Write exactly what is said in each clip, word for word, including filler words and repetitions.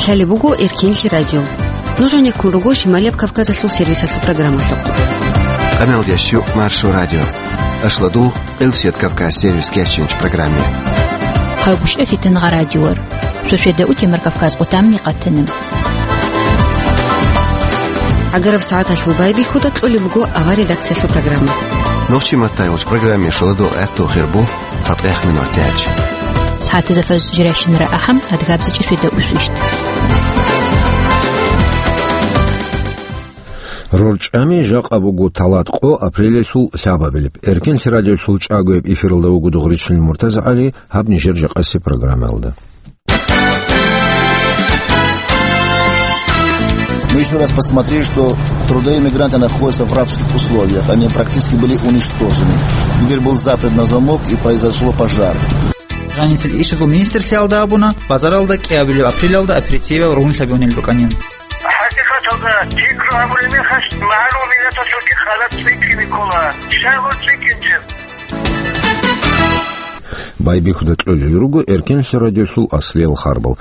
Лъалеб буго Эркенлъи радио. Нуж гьанеккун руго Шималияб Кавказалъул сервисалъул программалъухъ. Къамел ящук Маршо радио. Ашладу Къилсият Кавказ сервис кечинч программе. Хъалгушев Фитнагъа радиор. Шошеда утемар Кавказ къутамни къатана. Агараб сагӀаталъул байбихьуда кьолеб буго авар редакциялъул программа. Нохчи маттай уч программе шоладо гӀатту хирбу. ЦатӀех минутач. СагӀатазда фаз жирайщинара ахӀам, адгабзичӀеб свида усвищт. РорчӀами жакъа буго талат къо апрелалъул лъабабилеб. Эркенлъи радиолъул чӀагояб эфиралда вуго Дугъричилин МуртазагӀали, гьаб нижер жакъаси программаялда. Мы ещё раз посмотрели, что трудоиммигранты находятся в рабских условиях. Они практически были уничтожены. Дверь был заперт на замок, и произошло пожар. Жанисел ишазул министрлъиялда абуна, базаралда кӀиабилеб апрелалда аперитивал ругьунлъабигьунел рукӀанин. ХӀакъикъаталда, пикру гьабулеб мехалъ, магӀарул миллаталъулги халат цӀикӀкӀине ккола. Щай гъур цӀикӀкӀинчӀеб? Байбихьуда кьолел руго Эркенлъи радиолъул аслиял харбал.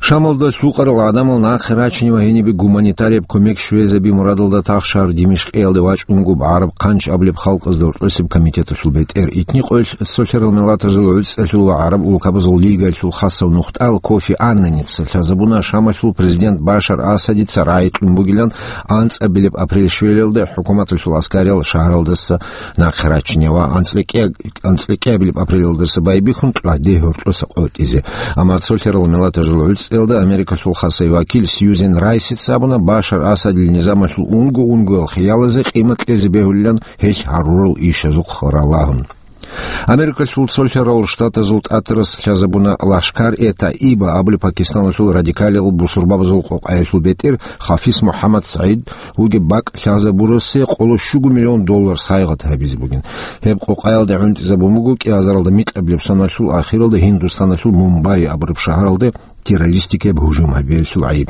Шамалда лъукъарал гӀадамал нахъе рачине ва гьенибе гуманитарияб кумек щвезаби мурадалда тахшар Димишкъиялде вачӀунго гӀараб хъанч абулеб халкъазда гьоркьосеб комитеталъул бетӀер, итни къоялъ цолъарал миллатазул гӀуцӀалъул ва гӀараб улкабазул лигаялъул хасав нухтӀал Кофи Аннаница лъазабуна Шамалъул президент Башар Асадица рагӀи кьун бугилан анцӀабилеб апрель щвелалда хӀукуматалъул аскариял шагьаралдаса нахъе рачине ва анцӀлъи кӀиабилеб апрелалдаса байбихьун тӀаде гьоркьоса къотӀизе. Амма цолъарал миллатазул гӀуцӀиялда Америкалъул хасай вакил Сьюзен Райсица абуна, Башар Асадил низамалъул унго-унгоял хиялазе къимат кьезе бегьулилан гьелъ гьарурал ишазухъ ралагьун. Америкалъул цолъарал штатазул тӀатарас лъазабуна Лашкар-е-Таиба абулеб Пакистаналъул радикалиял бусурбабазул къокъаялъул бетӀер Хафиз МухӀаммад СагӀид вугеб бакӀ лъазабурасе къоло щуго миллион доллар сайгъат гьабизе бугин. Гьеб къокъаялда гӀунтӀизабун буго кӀиазаралда микьабилеб соналъул ахиралда Гьиндустаналъул Мумбай абураб шагьаралда террористикаяб гьужум гьабиялъул гӀайиб.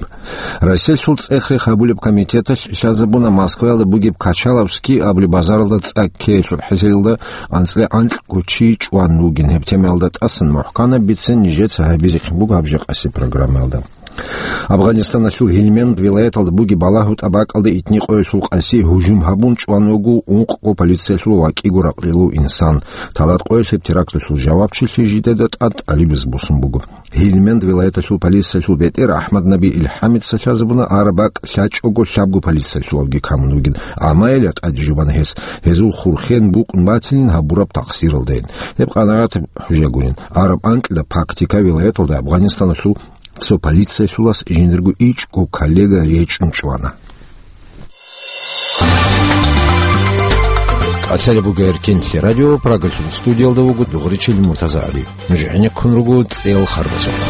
Россиялъул цӀех-рех гьабулеб комитеталъ лъазабуна Москваялда бугеб Качаловский абулеб базаралда цӀа ккеялъул хӀисаялда анцӀила анкьго чи чӀван вугин. Гьеб темаялда тӀасан мухӀканаб бицен нижеца гьабизехъин буго гьаб жакъаси программаялда. Афганистаналъул Гьилмент вилаяталда бугеб балагьу тӀабакӀалда итни къоялъул къаси гьужум гьабун чӀван вуго ункъго полициялъул ва кӀиго ракълилъул инсан. Талат къоялъ гьеб теракталъул жавабчилъи жидеда тӀад тӀалибаз босун буго. Гьилмент вилаяталъул полициялъул бетӀер АхӀмад-Наби Илхамица лъазабуна араб бакӀ лъачӀого лъабго полициялъулавги камун вугин, амма гьелда тӀаде жубана гьес, гьезул хурхен букӀун батилин гьабураб такъсиралдайин. Гьеб къанагӀатаб хӀужа гурин, араб анкьида практика вилаяталда Афганистаналъул цо полициялъулас жиндирго ичӀго коллега речӀчӀун чӀвана. КӀалъалеб буго Эркенлъи радио, Прагалъул студиялда вуго Дугъричил МуртазагӀали. Нуж гӀенеккун руго цӀел харбазухъ.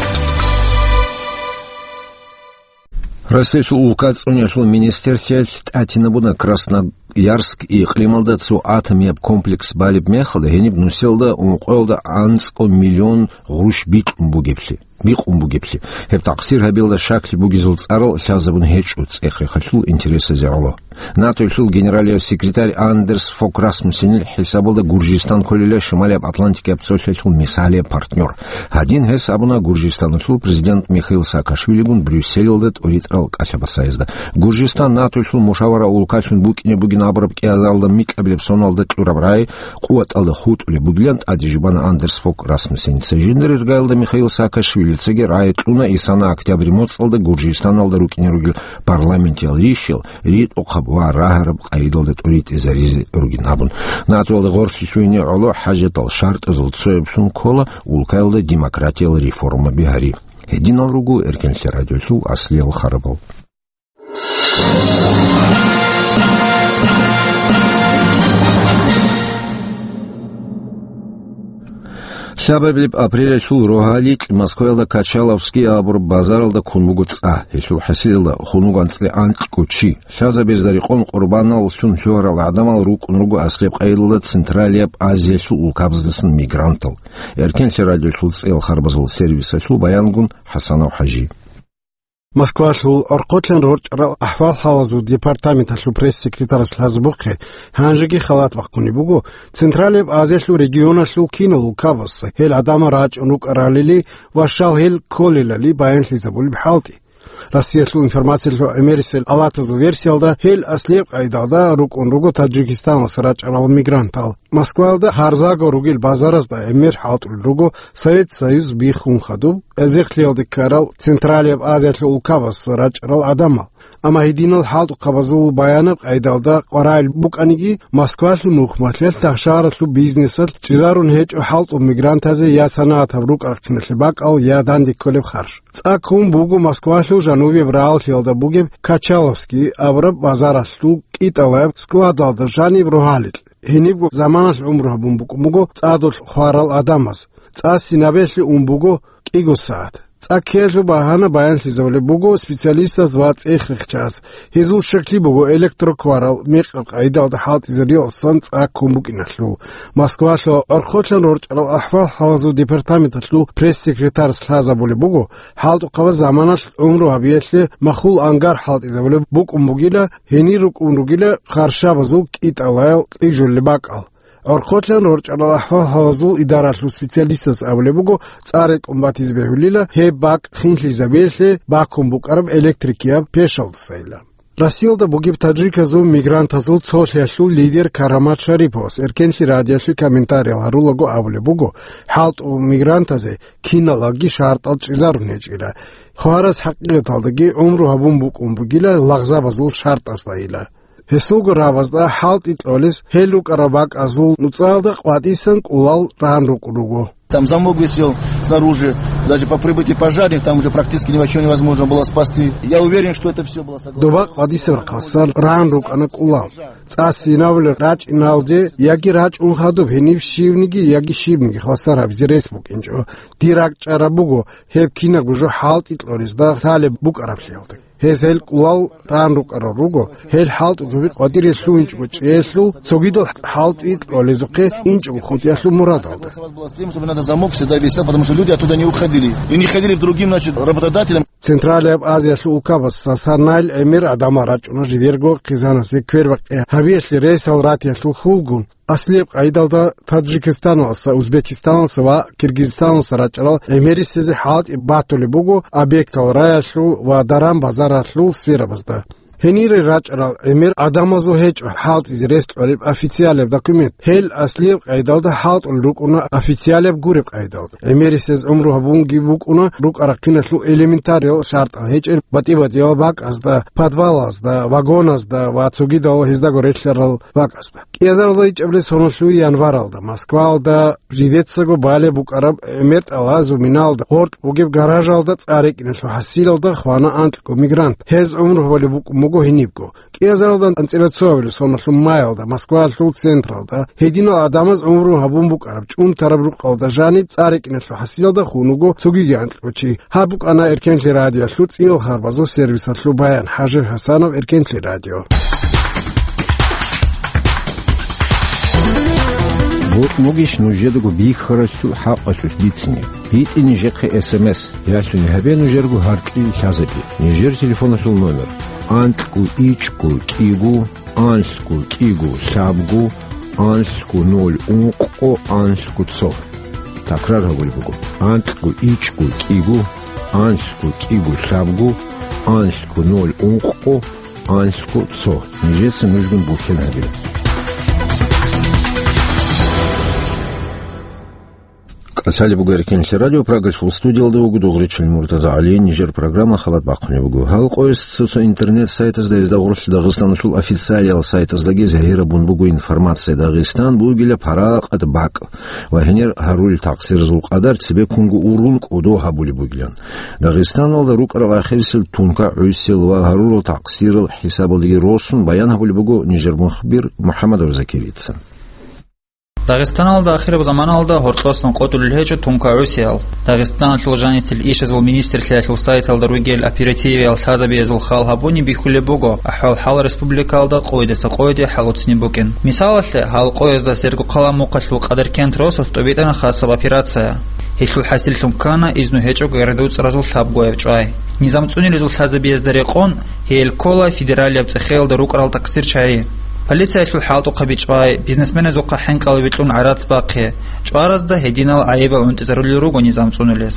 Россиялъул улка цӀуниялъул министрлъиялъ тӀатинабуна Красноярск икълималда цо атомияб комплекс балеб мехалда гьениб нусиялда ункъоялда анцӀго миллион гъурущ бикьун бугеблъи. бикъун бугеблъи. Гьеб такъсир гьабиялда щаклъи бугезул цӀарал лъазабун гьечӀо цӀех-рехалъул интересазе гӀоло. НАТОялъул генералияв секретарь Андерс Фок Расмуссенил хӀисабалда Гуржистан кколила Шималияб Атлантикаяб цолъалъул мисалияб партнер. Гьадин гьес абуна Гуржистаналъул президент Михаил Саакашвилигун Брюсселалда тӀоритӀарал кӀалъабасаязда. Гуржистан НАТОялъул мушавара улкалъун букӀине бугин абураб кӀиазаралда микьабилеб соналда кьураб рагӀи къуваталда хутӀулеб бугилан тӀаде жубана Андерс Фок Расмуссеница. Жиндир иргаялда Михаил Саакашвилицаги рагӀи кьуна исана октябрь моцӀалда Гуржистаналда рукӀине ругел парламентиял ришал ритӀухъаб ва рагьараб къайдалда тӀоритӀизаризе ругин абун. НАТОялда гъорлъе лъугьине гӀоло хӀажатал шартӀазул цояблъун ккола улкаялда демократиял реформаби гьари. Гьединал руго Эркенлъи радиолъул аслиял харабал. Лъабабилеб апрелалъул рогьаликь Москваялда Качаловский абураб базаралда ккун буго цӀа. Гьелъул хӀасилалда хун вуго анцӀила анкьго чи. Лъазабезда рекъон къурбаналлъун лъугьарал гӀадамал рукӀун руго аслияб къайдалда Централияб Азиялъул улкабаздасан мигрантал. Эркенлъи радиолъул цӀел харбазул сервисалъул баянгун ХӀасанов ХӀажи. Москвалъул орхъолъан рорчӀарал ахӀвал-хӀалазул департаменталъул пресс-секретарас лъазабухъе гьанжеги халат бахъунеб буго Централияб Азиялъул регионалъул кинал улкабаз, гьел гӀадамал рачӀун рукӀаралили ва щал гьел кколелали баянлъизабулеб хӀалтӀи. Россиялъул информациялъул гӀемерисел алатазул версиялда, гьел аслияб къайдалда рукӀун руго Таджикистаналъ рачӀарал мигрантал. Москваялда гьарзаго ругел базаразда гӀемер хӀалтӀулел руго Совет Союз биххун хадуб, эзехлъиялде ккарал Централияб Азиялъул улкабаз рачӀарал гӀадамал. Амма гьединал хӀалтӀухъабазул баянаб къайдалда къваригӀел букӀаниги, Москвалъул нухмалъиялъ, тахшаралъул бизнесалъ чӀезарун гьечӀо хӀалтӀул мигрантазе я санагӀатаб рукӀа-рахъиналъе бакӀал, я данде кколеб харж. ЦӀаккун буго Москвалъул жанубияб рагӀаллъиялда бугеб Качаловский абураб базаралъул кӀитӀалаяб складалда жаниб рогьалил. Гьенибго заманалъ гӀумру гьабун букӀун буго цӀадулъ хварал гӀадамаз. ЦӀа синабелъе ун буго кӀиго сагӀат. ЦӀа ккеялъул багьана баянлъизабулеб буго специалистаз ва цӀех-рехчаз. Гьезул щаклъи буго электрокварал мекъаб къайдалда хӀалтӀизе риял цӀа ккун букӀиналъул. Москвалъул гӀорхъолъан рорчӀарал ахӀвал-хӀалазул департаменталъул пресс-секретарас лъазабулеб буго, хӀалтӀухъабаз заманалъ гӀумру гьабиялъе махул ангар хӀалтӀизабулеб букӀун бугила, гьенир рукӀун ругила харжабазул кӀитӀалаял кьижулел бакӀал. ГӀорхъолъан рорчӀарал ахӀвал-хӀалазул идаралъул специалистас абулеб буго, цӀа рекӀун батизе бегьулила гьеб бакӀ хинлъизабиялъе бакун букӀараб электрикияб пешалдасайила. Россиялда бугеб таджиказул мигрантазул цолъиялъул лидер Карамат Шариповас Эркенлъи радиоялъе комментариял гьарулаго абулеб буго, хӀалтӀул мигрантазе киналги шартӀал чӀезарун гьечӀила. Хвараз хӀакъикъаталдаги гӀумру гьабун букӀун бугила лагъзабазул шартӀаздайила. Гьесулго рабазда хӀалтӀи кьолез гьел рукӀараб бакӀазул нуцӀаялда къватӀисан кӀулал ран рукӀун руго. Там замок висел снаружи, даже по прибытии пожарных там уже практически ничего невозможно было спасти. Я уверен, что это все было согласовано. Доба къватӀисаб рахъалъан ран рукӀана кӀулал. ЦӀа синабулеб рачӀиналде яги рачӀун хадуб гьениб щивниги яги щибниги хвасар гьабизе рес букӀинчӀо. Дир ракӀчӀараб буго, гьеб кинабго жо хӀалтӀи кьолезда лъалеб букӀараблъиялда. Гьез гьел кӀулал ран рукӀарал руго, гьел хӀалтӀуги къватӀире лъугьинчӀого чӀеялъул, цогидал хӀалтӀи кьолезухъе инчӀого хутӀиялъул мурадалда. Согласовать было с тем, чтобы надо замок всегда висел, потому что люди оттуда не уходили. И не ходили к другим, значит, работодателям. Централияб Азиялъул улкабаз Сасанайил гӀемер гӀадамал рачӀуна жидерго хъизаназе квербакъи гьабиялъе ресал ратиялъул хьулгун. Аслияб къайдалда Таджикистаналъа, Узбекистаналъа ва Киргизстаналъа рачӀарал гӀемерисезе хӀалтӀи батулеб буго объектал раялъул ва даран-базаралъул сферабазда. Гьенире рачӀарал гӀемер гӀадамазул гьечӀо хӀалтӀизе рес кьолеб официалияб документ. Гьел аслияб къайдалда хӀалтӀулел рукӀуна официалияб гуреб къайдалда. ГӀемерисез гӀумру гьабунги букӀуна рукӀа-рахъиналъул элементариял шартӀал гьечӀел батӀи-батӀиял бакӀазда, подвалазда, вагоназда ва цогидал гьездаго релълъарал бакӀазда. КӀиазаралда ичӀабилеб соналъул январалда Москваялда жидецаго балеб букӀараб гӀемер тӀалазул миналда гъоркь бугеб гаражалда цӀа рекӀиналъул хӀасилалда хвана анкьго мигрант. Гьез гӀумру гьабулеб букӀун буго гьенибго. КӀиазаралда анцӀила цоабилеб соналъул маялда Москваялъул централда гьединал гӀадамаз гӀумру гьабун букӀараб чӀунтараб рукъалда жаниб цӀа рекӀиналъул хӀасилалда хун вуго цогиги анкьго чи. Гьаб букӀана Эркенлъи радиоялъул цӀиял харбазул сервисалъул баян. ХӀажи ХӀасанов, Эркенлъи радио. Бокь бугищ нужедаго бихьаралъул хӀакъалъулъ бицине? БитӀе нижехъе эс эм эс, ялъуни гьабе нужерго гьаркьил лъазаби. Нижер телефоналъул номер: анкьго ичӀго кӀиго, анлъго кӀиго лъабго, анлъго ноль ункъго, анлъго цо. Такрар гьабулеб буго: анкьго ичӀго кӀиго, анлъго кӀиго лъабго, анлъго ноль ункъго, анлъго цо. Нижеца нужгун бухьен гьабила. КӀалъалеб буго Эркенлъи радио, Прагалъул студиялда вуго дугӀричил Муртаза ГӀали. Нижер программа халат бахъунеб буго. Гьал къояс цо-цо интернет-сайтазда, гьезда гъорлъ Дагъистаналъул официалиял сайтаздаги загьирабун буго информация: Дагъистан бугила паракъат бакӀ ва гьенир гьарулел такъсиразул къадар цебеккунго урун кӀодо гьабулеб бугилан. Дагъистаналда рукӀарал ахирисел тункагӀусел ва гьарурал такъсирал хӀисабалдаги росун баян гьабулеб буго нижер мухбир МухӀаммадов Закирица. Дагъистаналда ахираб заманалда гьоркьосан къотӀулел гьечӀо тункагӀусиял. Дагъистаналъул жаницел ишазул министрлъиялъул сайталда ругел оперативиял лъазабиязул хал гьабуни бихьулеб буго, ахӀвал-хӀал республикалда къойидаса къойиде хӀалуцни букӀин. Мисалалъе, гьал къоязда Сергокъала мухъалъул Къадаркент росулъ тӀобитӀана хасаб операция. Гьелъул хӀасиллъун ккана изну гьечӀого гӀердуцӀразул лъабгояб чӀвай. Низам цӀунилезул лъазабиязда рекъон, гьел ккола федералияб цӀехеялда рукӀарал такъсирчагӀи. Полициялъул хӀалтӀухъаби чӀвай, бизнесменазухъа хӀинкъалаби кьун гӀарац бахъи, ПӀаразда гьединал гӀайибал гӀунтӀизарулел руго низам цӀунулез.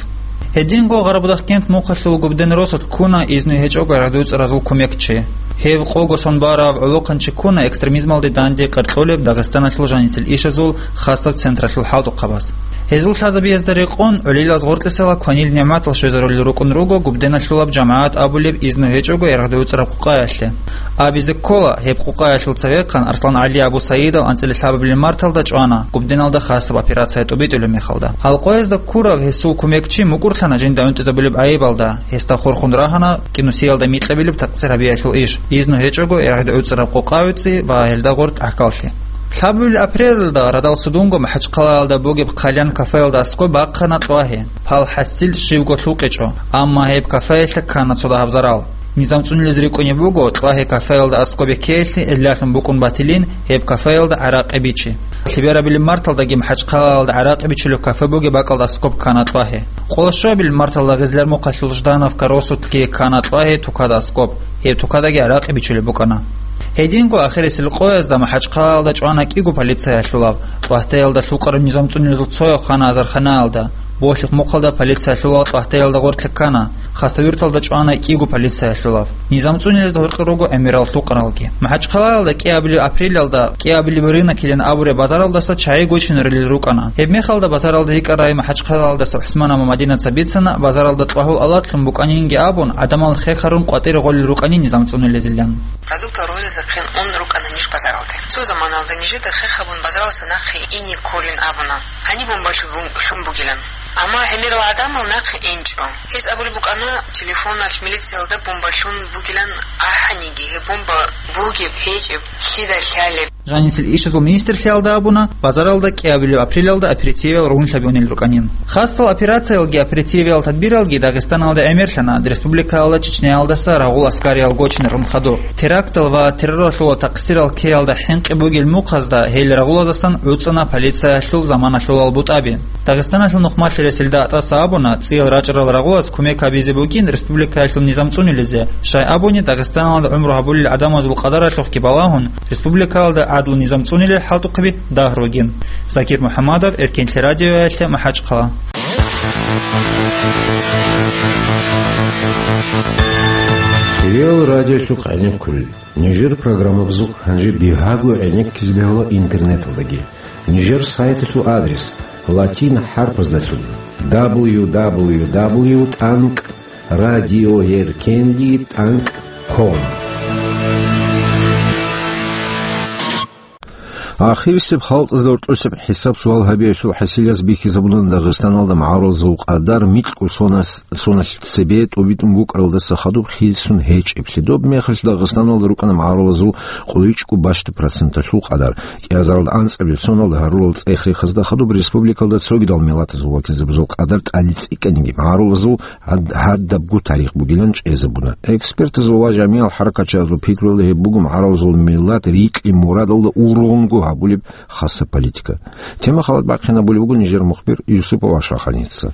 Гьединго Гъарабудахъкент мухъалъул Губден росулъ ккуна изну гьечӀого ярагъдуцӀаразул кумекчи. Гьев къого сон бараб гӀолохъанчи ккуна экстремизмалде данде къеркьулеб Дагъистаналъул жанисел ишазул хасаб централъул хӀалтӀухъабаз. Гьезул лъазабиязда рекъон, гӀолилаз гъоркьисела кванил нигӀматал щвезарулел рукӀун руго Губденалъулаб жамагӀат абулеб изну гьечӀого ярагъдуцӀараб къукъаялъе. Абизе ккола, гьеб къукъаялъул цевехъан Арслан ГӀали Абу Саидов анцӀила лъабабилеб марталда чӀвана Губденалда хасаб операция тӀубитӀулеб мехалда. Гьал къоязда ккурав гьесул кумекчи мукӀурлъана жинда гӀунтӀизабулеб гӀайибалда, гьесда хурхун рагьана кӀинусиялда микьабилеб такъсир гьабиялъул иш, изну гьечӀого ярагъдуцӀараб къукъа гӀуцӀи ва гьелда гъоркь гӀахьаллъи. Лъабабилеб апрелалда радал судунго МахӀачхъалаялда бугеб Хъалиян кафеялда аскӀоб бахъана кьвагье, гьал хӀасил щибго лъукъичӀо, амма гьеб кафеялъе ккана цо дагьаб зарал. Низам цӀунулез рикӀкӀунеб буго, кьвагье кафеялда аскӀоб беккеялъе гӀиллалъун букӀун батилин гьеб кафеялда гӀаракъи бичи. Лъеберабилеб марталдаги МахӀачхъалаялда гӀаракъи бичулеб кафе бугеб бакӀалда аскӀоб ккана кьвагье. Къоло щуабилеб марталда Гъизлияр мухъалъул Жданов каросулъги ккана кьвагье тукада аскӀоб, гьеб тукадаги гӀаракъи бичулеб букӀана. Гьединго ахирисел къоязда МахӀачхъалаялда чӀвана кӀиго полициялъулав, КьвагьтӀаялда лъукъараб низам цӀунилазул цояв хана азарханаялда, Болъихъ мухъалда полициялъулал КьвагьтӀаялда гъоркье ккана, Хасавюрталда чӀвана кӀиго полициялъулав. Низам цӀунилезда гьоркьор руго гӀемерал лъукъаралги. МахӀачхъалаялда кӀиабилеб апрелалда кӀиабилеб рынок килан абураб базаралдаса чагӀи гочинарулел рукӀана. Гьеб мехалда базаралда йикӀарай МахӀачхъалаялдаса ГӀусман Мамадинаца бицана, базаралда кьвагьул алакьлъун букӀанинги абун, гӀадамал хехарун къватӀире гъолел рукӀанин низам цӀунилезилан. Продукт арузизе хъен ун рукӀана ниж базаралде. Цо заманалда нижеда хехабун базаралдаса нахъе ине кколин абуна. Гьаниб бомба лъун бугилан. Амма гӀемерал гӀадамал нахъе инчӀо. Гьес абулеб букӀана, телефоналъ милициялда бомба лъун бугилан ахӀаниги, гьеб бомба бугеб, гьечӀеб, лъида лъалеб. Жанисел ишазул министрлъиялда абуна, базаралда кӀиабилеб апрелалда аперитивиял ругьунлъабиунел рукӀанин. Хасал операциялги аперитивиял тадбиралги Дагъистаналда гӀемерлъана, республикаялда Чечняялдаса рагъул аскариял гочинарун хадур. Терактал ва терроралъула такъсирал ккеялда хӀинкъи бугел мухъазда гьел рагъулаздасан гӀуцӀана полициялъул заманалъулал бутӀаби. Дагъистаналъул нухмалъи ресилда АтӀаса абуна, цӀиял рачӀарал рагъулаз кумек гьабизе букӀин республикаялъул низам цӀунилизе, щай абуни Дагъистаналда гӀумру гьабулел гӀадамазул къадаралъухъги балагьун, республикаялда гӀадлу низам цӀунилел хӀалтӀухъаби дагь ругин. Закир МухӀаммадов, Эркенлъи радиоялъе, МахӀачхъала. Кирилл радиолъухъ гӀенеккулел. Нижер программабазухъ гьанже бигьаго гӀенеккизе бегьула интернеталдаги. Нижер сайталъул адрес латин хӀарпаздалъун: дабл ю дабл ю дабл ю тӀанкӀ радиоеркенлъи тӀанкӀ ком. Ахирисеб халкъазда гьоркьосеб хӀисаб-суал гьабиялъул хӀасилаз бихьизабуна Дагъистаналда магӀарулазул къадар микьго сонас-, соналъ цебе тӀубитӀун букӀаралдаса хадуб хисун гьечӀеблъи. Доб мехалъ Дагъистаналда рукӀана магӀарулазул къуличӀго бащда проценталъул къадар. КӀиазаралда анцӀабил соналда гьарулал цӀех-рехазда хадуб республикалда цогидал миллатазул вакилзабазул къадар тӀаде цӀикӀкӀаниги магӀарулазул гьад-, гьадабго тарих бугилан чӀезабуна. Экспертазул ва жамигӀал хӀаракатчиязул пикруялда гьеб буго магӀарулазул миллат рикьи-мурадалда ургъунго гьабулеб хасаб политика. Тема халат бахъинабулеб буго нижер мухбир Юсупов Ашханица.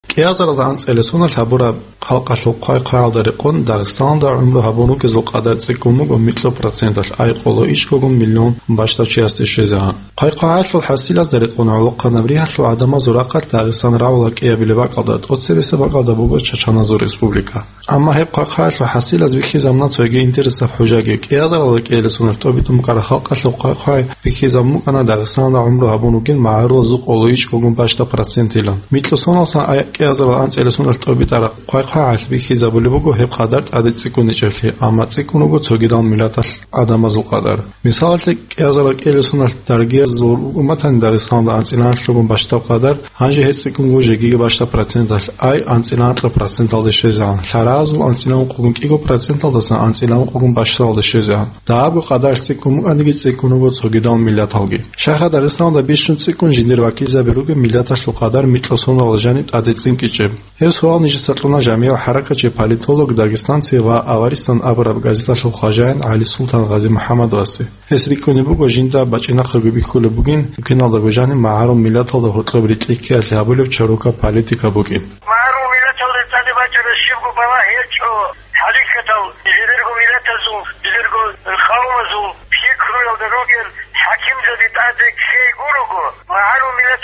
КӀиазаралда анцӀила соналъ гьабураб халкъалъул хъвай-хъваялда рекъон Дагъистаналда гӀумру гьабун ругезул къадар цӀикӀкӀун буго микьго проценталъ, ай къоло ичӀгогун миллион бащдав чиясде щвезегӀан. Хъвай-хъвагӀалъул хӀасилазда рекъон гӀолохъанаб ригьалъул гӀадамазул рахъалъ Дагъистан рагӀула кӀиабилеб бакӀалда, тӀоцебесеб бакӀалда буго Чачаназул республика. Амма гьеб хъвай-хъвагӀалъул хӀасилаз бихьизабуна цоги интересаб хӀужаги. КӀиазаралда кӀиялесуналъ тӀобитӀун букӀараб халкъалъул хъвай-хъвай бихьизабун букӀана Дагъистаналда гӀумру гьабун ругел магӀарулазул къоло ичӀгогун бащдаб процентилан. Микьго соналсан ай кӀиазарал анцӀила соналъ тӀобитӀараб хъвай-хъвагӀалъ бихьизабулеб буго гьеб къадар тӀаде цӀикӀкӀун ичӀеблъи, амма цӀикӀкӀун руго цогидал миллаталъ гӀадамазул къадар. Мисалалъе, кӀиазарал кӀиялесуналъ даргиязул руго батани Дагъистаналда анцӀила анлъгогун бащдаб къадар, гьанже гьеб цӀикӀкӀун буго жегиги бащдаб проценталъ, ай анцӀила анкьа проценталде щвезегӀан, лъаразул анцӀила ункъогун кӀиго проценталдасан анцӀила ункъогун бащдалде щвезегӀан. Дагьабго къадаралъ цӀикӀкӀун букӀаниги цӀикӀкӀун руго цогидал миллаталги. Щайха Дагъистаналда бищун цӀикӀкӀун жиндир вакилзаби ругеб миллаталъул къадар микьго соналда жаниб тӀаде цӀинкӀичӀеб? Гьеб суал нижеца кьуна жамигӀав хӀаракатчи, политолог, дагестанци ва аваристан абураб газеталъул хважаин ГӀалисултан Гъази-МухӀаммадовасе. Гьес рикӀкӀунеб буго жинда бачӀинахъего бихьулеб бугин, букиналдаго жаниб магӀарул миллаталда гьоркьоб рикьи-ккеялъе гьабулеб чорока политика букӀин. МагӀарул миллаталда цӀалеб бачӀараб щибго балагь гьечӀо. ХӀакъикъаталда, жидерго миллатазул, жидерго къавмазул пикруялда ругел хӀакимзаби тӀаде ккей гурого, магӀарул миллат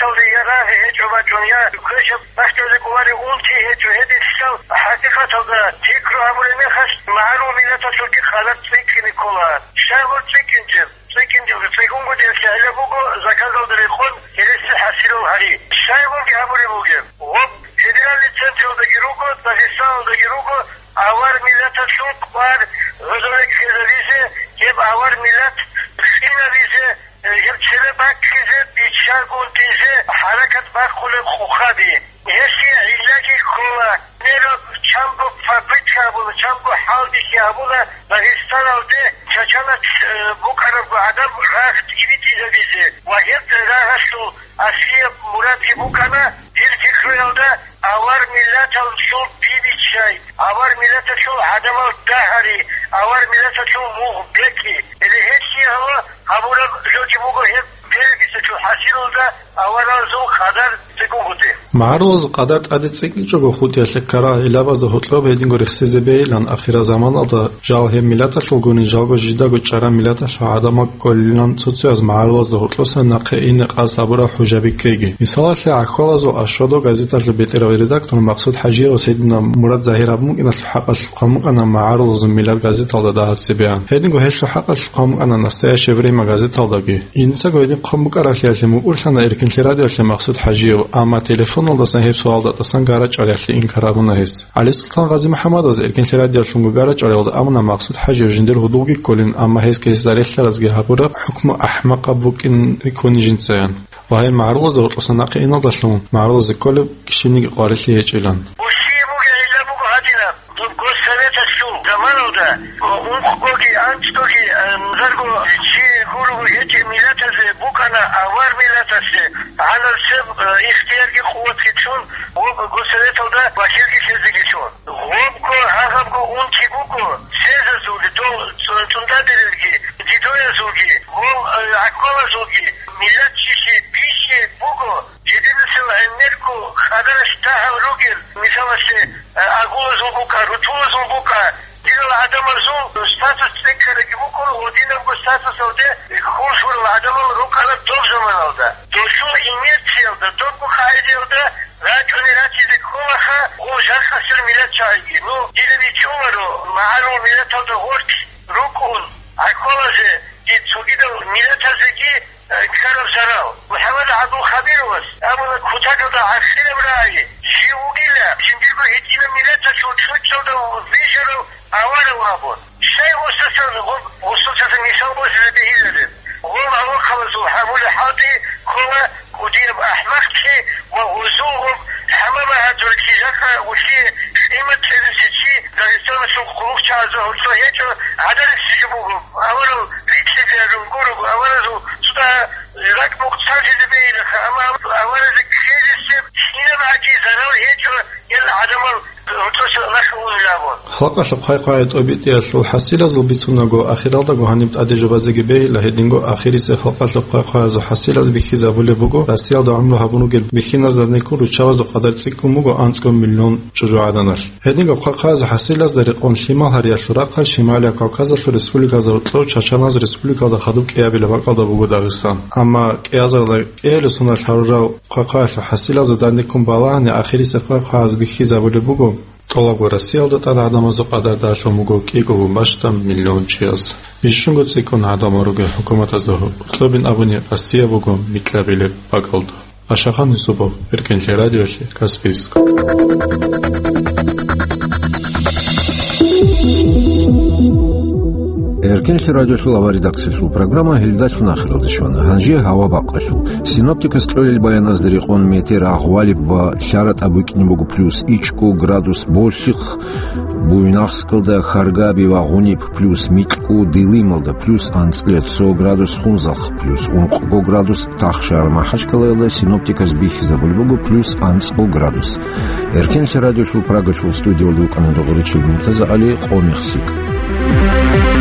Дунъя квешаб бахталда кӀоларев унти гьечӀо, гьединлъидал хӀакъикъаталда пикру гьабураб мехалъ, магӀарул миллаталъулги къадар цӀикӀкӀине ккола. Щайгур цӀикӀкӀинчӀеб? ЦӀикӀкӀинчӀеб цӀикӀкӀунгутӀиялъе гьелеб буго заказалда рекъон гьереси хӀасилал гьари. Щайгурги гьабулеб бугеб. Гъоб федеральный централдаги руго, Дагъистаналдаги руго, авар миллаталъул кӀвар гьезда ккезабизе, гьеб авар миллат къинабизе, гьеб цебе баккизе, биччагунтизе хӀаракат бахъулеб къухъаби. Гьелъие гӀиллаги ккола, гьеб чанго попытка гьабуна, чанго хӀалбихьи гьабуна Дагъистаналде чачанац, э, букӀарабго гӀадаб рагъ тӀибитӀизабизе ва гьеб рагъалъул аслияб мурадги букӀана, дир пикруялда, авар миллаталъул бибиччай, авар миллаталъул гӀадамал дагьари, авар миллаталъул мугъ бекьи. Гьеле гьелъие гьала гьабураб жоги буго гьеб берегисачул хӀасилалда аваралзул къадар цӀикӀкӀунгутӀи. МагӀарулазул къадар тӀаде цӀикӀкӀичӀого хутӀиялъе ккарал гӀиллабазда гьоркьоб гьединго рехсезе бегьилан, ахирзаманалда жал гьеб миллаталъулгунин жалго жидаго чӀараб миллаталъул гӀадамал кколилан цо-цояз магӀарулазда гьоркьоса нахъе ине къасд гьабурал хӀужаби ккеги. Мисалалъе, ГӀахьвалазул Ашвадо газеталъул бетӀерав редактор Максуд ХӀажиевас гьединаб мурад загьир гьабун букӀиналъул хӀакъалъулъ хъван букӀана магӀарулазул миллат газеталда дагьаб цебегӀан. Гьединго гьелъул хӀакъалъулъ хъван букӀана Настоящее время газеталдаги. Жинцаго гьедин хъван букӀараблъиялъе мукӀурлъана Эркинлъи радиоялъе Максуд ХӀажиев, амма телефоналдасан гьеб суалда тӀасан гарачӀариялъе инкар гьабуна гьес. ГӀалисултан ГъазимухӀаммадаз Эркинлъи радиоялъунго гарачӀариялда абуна Максуд ХӀажиев жиндир гьудулги кколин, амма гьес гьесда релълъаразги гьабураб хӀукму ахӀмакъаб букӀин рикӀкӀуна жинцаян. Ва гьел магӀарулазда гьоркьоса нахъе иналдалъун магӀарулазе кколеб щибниги къварилъи гьечӀилан. Гьелъие бугеб гӀилла буго гьадинаб. Госсоветалъул заманалда ункъгоги анцӀгоги, э, зарго чи гуруго гьечӀеб миллатазе букӀана авар миллатасе гӀанаб цеб, э, ихтиярги къуватги чӀун, ва Госсоветалда вакилги лъезеги чӀун. Гъобго гьагьабго унти буго, сезазулги, дол цӀун-, цӀундаберилги, дидоязулги, гъол, э, гӀахьвалазулги, миллат чиси биси буго, жидедасел гӀемерго къадаралъ дагьаб ругел, мисалалъе, э, агулазул букӀа, рутулазул букӀа, динал гӀадамазул статус цӀикӀкӀарабги букӀун, гьединабго статусалде хурхурал гӀадамал рукӀана доб заманалда. Досул инерциялда, добго къагӀидаялда рачӀунел ратизе кколаха гъо жакъасел миллат чагӀиги. Ну, дида бичӀчӀуларо, магӀарул миллаталда гъоркь рукӀун, гӀахьвалазе, дид цогидал миллатазеги, э, ккараб зарал. МухӀаммад ГӀабдулхабировас абуна, кутакалда гӀахираб рагӀи жив вугила, жиндирго гьитӀинаб миллаталъул чӀучӀалда вижарав аварав абун. Щай гъосасан, гъо-, гъосасан мисал босизе бегьилареб? Гъо, гӀалахъалазул гьабулеб хӀалтӀи ккола кӀудияб ахӀмакълъи ва гъозул гъоб хӀама багьадуллъи жакъа улъие къимат кьеризе чи Дагъистаналъул хъулухъчагӀазда гьоркьо гьечӀо гӀадаресиги буго, аварал рикӀкӀизе гьарун гурого, аваразул цӀа ракӀ-мукъ царжизе бегьилаха, амма аваразе ккезесеб кинаб гӀаги зарал гьечӀо, гьел гӀадамал гьоркьоса нахъе унел абун. Халкъалъухъ хъвай-хъвай тӀобитӀиялъул хӀасилазул бицунаго, ахиралдаго гьаниб тӀаде жубазеги бегьила, гьединго ахирисеб халкъалъухъ хъвай-хъваязул хӀасилаз бихьизабулеб буго Россиялда гӀумру гьабун ругел бихьиназда данде ккун руччабазул къадар цӀикӀкӀун буго анцӀго миллион чӀужугӀаданалъ. Гьединго хъвай-хъваязул хӀасилазда рекъон лъимал гьариялъул рахъалъ Шималияб Кавказалъул республиказда гьоркьоб Чачаназ республикалда хадуб кӀиабилеб бакӀалда буго Дагъистан. Амма кӀиазарда кӀиабилеб соналъ гьарурал хъвай-хъваялъул хӀасилазда данде ккун балагьани, ахирисеб хъвай-хъваязул бихьизабулеб буго тӀолабго Россиялда тӀад гӀадамазул къадар далъун буго кӀиго бащдаб миллион чияс. Бищунго цӀикӀкӀун гӀадамал ругел хӀукуматазда гьоркьобин абуни, Россия буго микьабилеб бакӀалда. Ашахан Юсупов, Эркинлъи радиолъе, Каспийск. Эркинлъи радиолъул аваридакциялъул программа гьелдалъун ахиралде щвана. Гьанже гьава бакъалъул. Синоптикас кьолел баяназда рекъон метер агъвалеб ва лъаратӀа букӀине буго плюс ичӀго градус Болъихъ, Буйнакскалда, Харгаби ва Гъуниб плюс микьго, Дилималда плюс анцӀила цо градус, Хунзахъ плюс ункъго градус, Тахшар-МахӀачкъалаялда синоптиказ бихьизабулеб буго плюс анцӀго градус. Эркинлъи радиолъул Прагалъул студиялда вукӀана Догъуричил МуртазагӀали, къо мехлъи.